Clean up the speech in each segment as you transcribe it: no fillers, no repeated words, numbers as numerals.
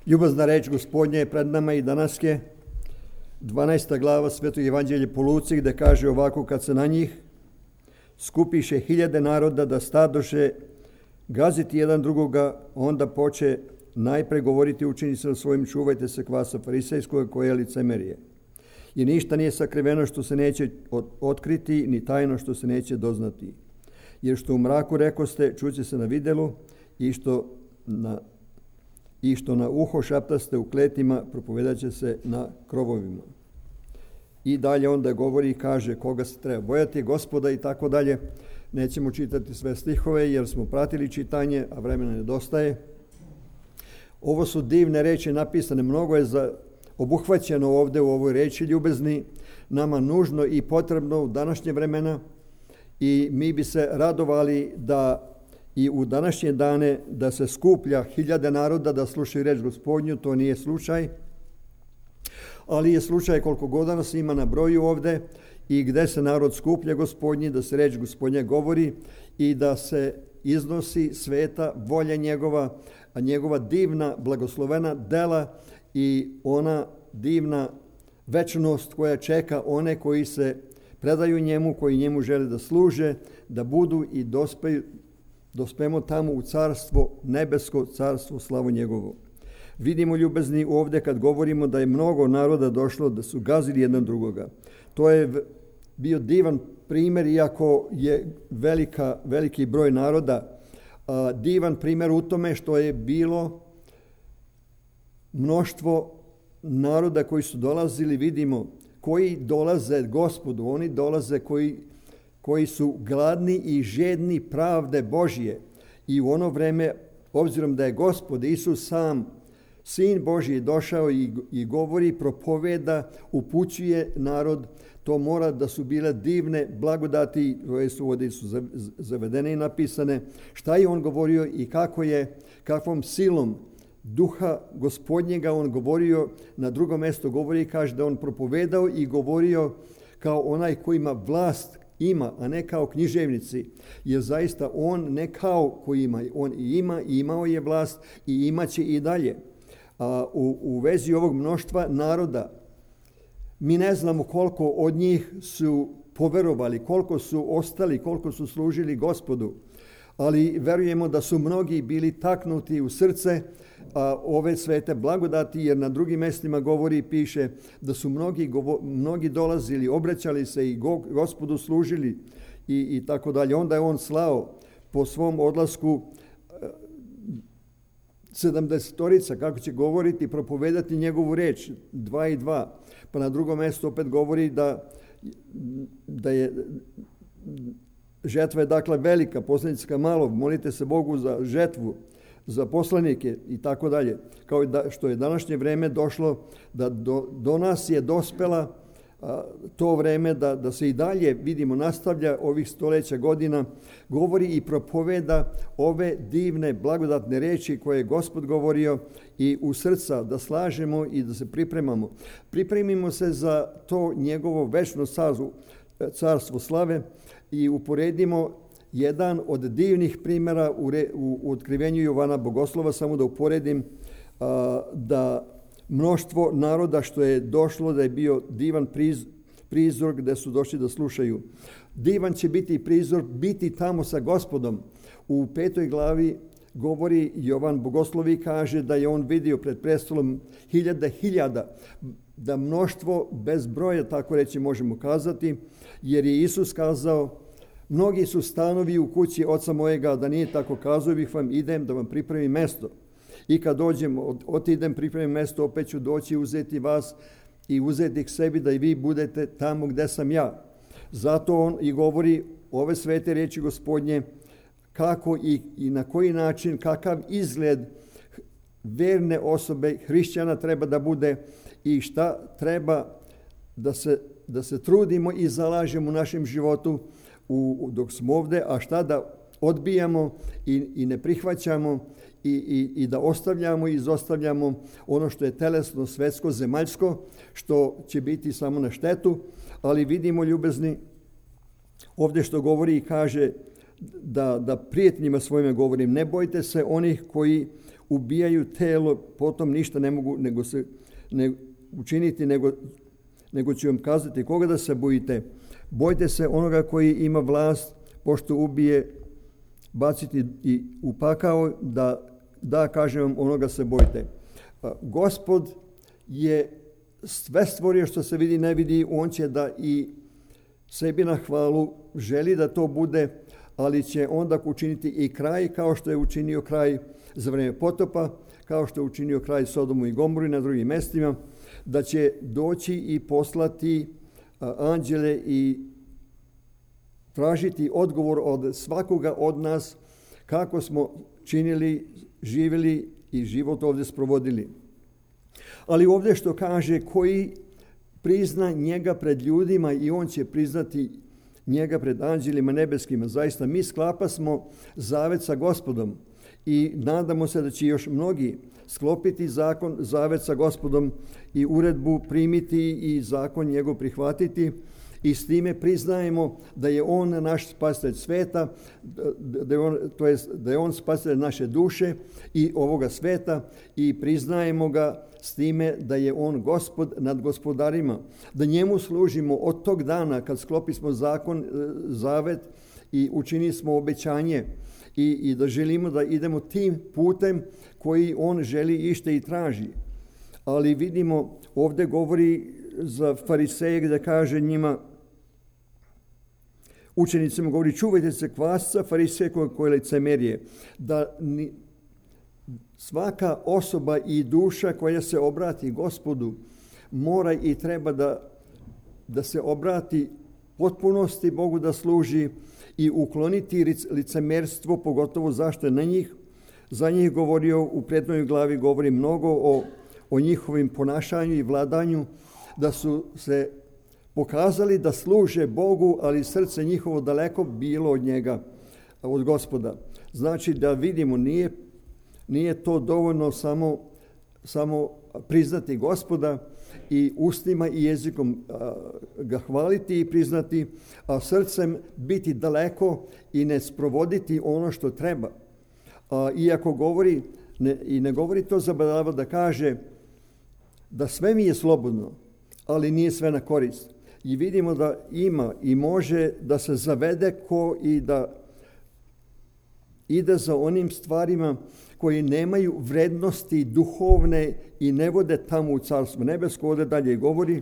Ljubazna reč Gospodnja je pred nama i danas je 12. glava Svetog evanđelja po Luci, gde kaže ovako: kad se na njih skupiše hiljade naroda da stadoše gaziti jedan drugoga, onda poče najpre govoriti učenicima svojim: čuvajte se kvasa farisejskog koje je licemerije. I ništa nije sakriveno što se neće otkriti, ni tajno što se neće doznati. Jer što u mraku rekoste, čuće se na videlu, i što na uho šaptaste u kletima, propovedat će se na krovovima. I dalje onda govori i kaže koga se treba bojati, Gospoda i tako dalje. Nećemo čitati sve stihove jer smo pratili čitanje, a vremena nedostaje. Ovo su divne reči napisane, mnogo je obuhvaćeno ovdje u ovoj reči ljubezni, nama nužno i potrebno u današnje vremena, i mi bi se radovali da i u današnje dane da se skuplja hiljade naroda da slušaju reč Gospodnju. To nije slučaj, ali je slučaj koliko god nas ima na broju ovdje i gdje se narod skuplja Gospodnji, da se reč Gospodnja govori i da se iznosi sveta volja njegova, a njegova divna blagoslovena dela i ona divna večnost koja čeka one koji se predaju njemu, koji njemu žele da služe, da budu i dospemo tamo u carstvo, nebesko carstvo, slavu njegovu. Vidimo, ljubezni, ovdje kad govorimo da je mnogo naroda došlo da su gazili jedan drugoga. To je bio divan primjer, iako je veliki broj naroda. Divan primjer u tome što je bilo mnoštvo naroda koji su dolazili, vidimo, koji dolaze Gospodu, oni dolaze koji su gladni i žedni pravde Božje. I u ono vreme, obzirom da je Gospod Isus sam, Sin Božji, došao i govori, propoveda, upućuje narod, to mora da su bile divne blagodati, koje su ovdje zavedene i napisane, šta je on govorio i kakvom silom Duha Gospodnjega on govorio. Na drugom mjestu govori i kaže da on propovedao i govorio kao onaj koji ima vlast, a ne kao književnici, jer zaista on ne kao koji ima, on ima i imao je vlast i imaće i dalje. U vezi ovog mnoštva naroda, mi ne znamo koliko od njih su poverovali, koliko su ostali, koliko su služili Gospodu, ali verujemo da su mnogi bili taknuti u srce ove svete blagodati, jer na drugim mjestima govori i piše da su mnogi dolazili, obraćali se i Gospodu služili i tako dalje. Onda je on slao po svom odlasku 70-torica, kako će govoriti, propovedati njegovu reč, 2 i 2. Pa na drugom mjestu opet govori da je žetva je dakle velika, poslanicka malo, molite se Bogu za žetvu, za poslanike i tako dalje. Kao i što je današnje vreme došlo, da do nas je dospela to vreme da se i dalje, vidimo, nastavlja ovih stoljeća godina, govori i propoveda ove divne blagodatne reči koje je Gospod govorio, i u srca da slažemo i da se pripremamo. Pripremimo se za to njegovo večno carstvo slave i uporedimo jedan od divnih primjera u otkrivenju Jovana Bogoslova. Samo da uporedim da mnoštvo naroda što je došlo, da je bio divan prizor gdje su došli da slušaju. Divan će biti prizor biti tamo sa Gospodom. U 5. glavi govori Jovan Bogoslov i kaže da je on vidio pred prestolom hiljada, da mnoštvo bez broja, tako reći možemo kazati, jer je Isus kazao: mnogi su stanovi u kući oca mojega, da nije tako, kazao bih vam, idem da vam pripremim mesto. I kad dođem, otidem, pripremim mesto, opet ću doći uzeti vas i uzeti k sebi, da i vi budete tamo gdje sam ja. Zato on i govori ove svete riječi Gospodnje, kako i na koji način, kakav izgled verne osobe, hrišćana treba da bude i šta treba da se trudimo i zalažemo u našem životu dok smo ovdje, a šta da odbijamo i ne prihvaćamo i da ostavljamo i izostavljamo ono što je telesno, svetsko, zemaljsko, što će biti samo na štetu. Ali vidimo, ljubezni, ovdje što govori i kaže da prijetnjima svojima govorim, ne bojte se onih koji ubijaju telo, potom ništa ne mogu učiniti, nego ću vam kazati koga da se bojite. Bojte se onoga koji ima vlast, pošto ubije, baciti i u pakao, da kažem vam, onoga se bojte. Gospod je sve stvorio što se vidi, ne vidi, on će da i sebi na hvalu želi da to bude, ali će onda učiniti i kraj kao što je učinio kraj za vrijeme potopa, kao što je učinio kraj Sodomu i Gomori na drugim mestima, da će doći i poslati anđele i tražiti odgovor od svakoga od nas kako smo činili, živjeli i život ovdje sprovodili. Ali ovdje što kaže, koji prizna njega pred ljudima i on će priznati njega pred anđelima nebeskima. Zaista mi sklapasmo zavet sa Gospodom i nadamo se da će još mnogi sklopiti zavet sa Gospodom i uredbu primiti i zakon njegov prihvatiti, i s time priznajemo da je on naš spasitelj sveta, da je on spasitelj naše duše i ovoga sveta, i priznajemo ga s time da je on Gospod nad gospodarima, da njemu služimo od tog dana kad sklopismo zavet i učinili smo obećanje i da želimo da idemo tim putem koji on želi ište i traži. Ali vidimo, ovdje govori za fariseje gdje kaže njima, učenicima govori, čuvajte se kvasca farisejskog koje licemerje, da svaka osoba i duša koja se obrati Gospodu mora i treba da se obrati potpunosti Bogu, da služi i ukloniti licemerstvo, pogotovo zašto je za njih govorio u prethodnoj glavi, govori mnogo o njihovim ponašanju i vladanju, da su se pokazali da služe Bogu, ali srce njihovo daleko bilo od njega, od Gospoda. Znači da vidimo, nije to dovoljno samo priznati Gospoda i ustima i jezikom ga hvaliti i priznati, a srcem biti daleko i ne sprovoditi ono što treba. Iako govori, ne govori to zabadava da kaže da sve mi je slobodno, ali nije sve na korist. I vidimo da ima i može da se zavede ko i da ide za onim stvarima koji nemaju vrednosti duhovne i ne vode tamo u Carstvo nebesko. Ovdje dalje govori.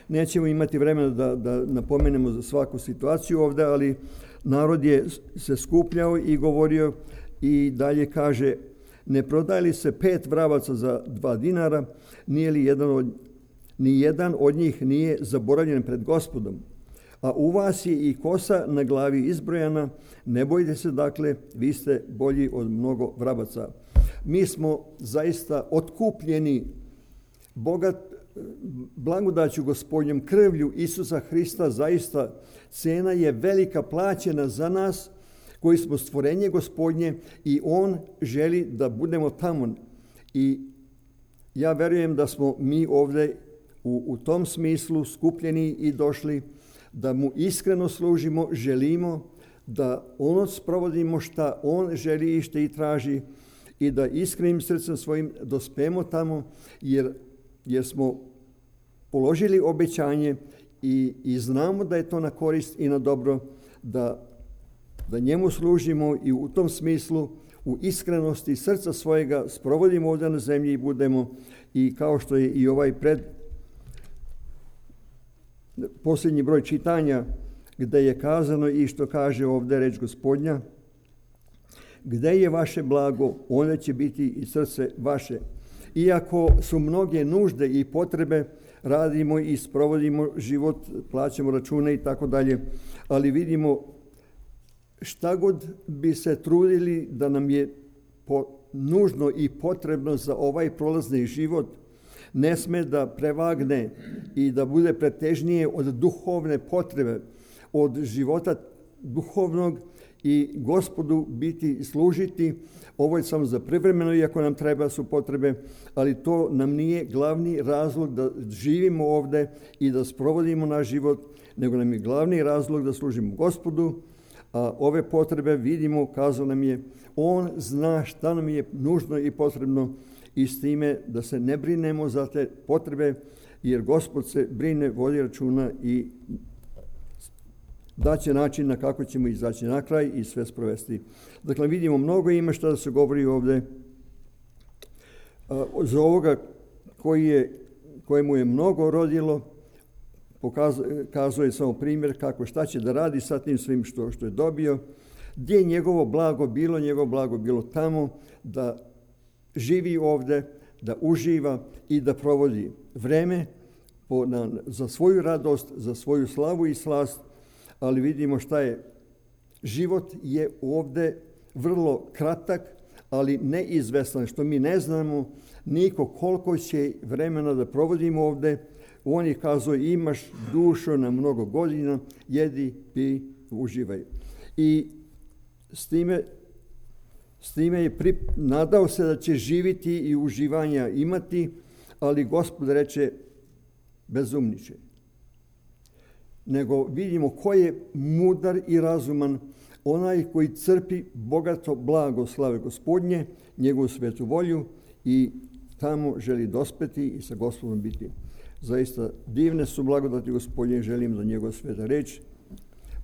Nećemo imati vremena da napomenemo za svaku situaciju ovdje, ali narod je se skupljao i govorio i dalje kaže, ne prodaje li se 5 vravaca za 2 dinara, ni jedan od njih nije zaboravljen pred Gospodom. A u vas je i kosa na glavi izbrojana, ne bojte se, dakle, vi ste bolji od mnogo vrabaca. Mi smo zaista otkupljeni blagodaću Gospodnjom, krvlju Isusa Hrista, zaista cena je velika plaćena za nas koji smo stvorenje Gospodnje i on želi da budemo tamo. I ja verujem da smo mi ovdje u tom smislu skupljeni i došli da mu iskreno služimo, želimo da ono sprovodimo šta on želi i što i traži i da iskrenim srcem svojim dospemo tamo jer smo položili obećanje i znamo da je to na korist i na dobro, da njemu služimo i u tom smislu u iskrenosti srca svojega sprovodimo ovdje na zemlji i budemo, i kao što je i ovaj posljednji broj čitanja gdje je kazano i što kaže ovdje reč Gospodnja, gdje je vaše blago, onda će biti i srce vaše. Iako su mnoge nužde i potrebe, radimo i sprovodimo život, plaćamo račune i tako dalje, ali vidimo šta god bi se trudili da nam je nužno i potrebno za ovaj prolazni život, ne sme da prevagne i da bude pretežnije od duhovne potrebe, od života duhovnog i Gospodu biti i služiti. Ovo je samo za privremeno, iako nam treba su potrebe, ali to nam nije glavni razlog da živimo ovdje i da sprovodimo naš život, nego nam je glavni razlog da služimo Gospodu, a ove potrebe vidimo, kazao nam je, on zna šta nam je nužno i potrebno i s time da se ne brinemo za te potrebe, jer Gospod se brine, vodi računa i daće način na kako ćemo izaći na kraj i sve sprovesti. Dakle, vidimo, mnogo ima šta da se govori ovdje. Za ovoga kojemu je mnogo rodilo, kazuje samo primjer kako šta će da radi sa tim svim što je dobio, gdje je njegovo blago bilo tamo, da živi ovdje, da uživa i da provodi vreme za svoju radost, za svoju slavu i slast, ali vidimo šta je. Život je ovdje vrlo kratak, ali neizvestan, što mi ne znamo niko koliko će vremena da provodimo ovdje. On je kazao, imaš dušu na mnogo godina, jedi, pi, uživaj. I s time je nadao se da će živiti i uživanja imati, ali Gospod reče, bezumniče. Nego vidimo ko je mudar i razuman, onaj koji crpi bogato blago slave Gospodnje, njegovu svetu volju i tamo želi dospeti i sa Gospodom biti. Zaista divne su blagodati Gospodnje, želim da njegova sveta reč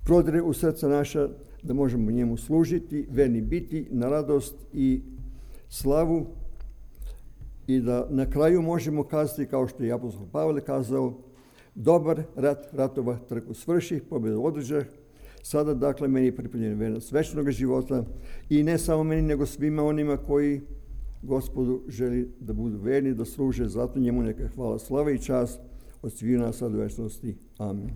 prodire u srca naša, da možemo njemu služiti, verni biti, na radost i slavu i da na kraju možemo kazati, kao što je apostol Pavle kazao, dobar rat ratova trku svrših, pobjedu održah, sada dakle meni je pripremljena vernost večnog života i ne samo meni, nego svima onima koji Gospodu želi da budu verni, da služe, zato njemu neka hvala, slava i čast od svih nas sad u večnosti. Amen.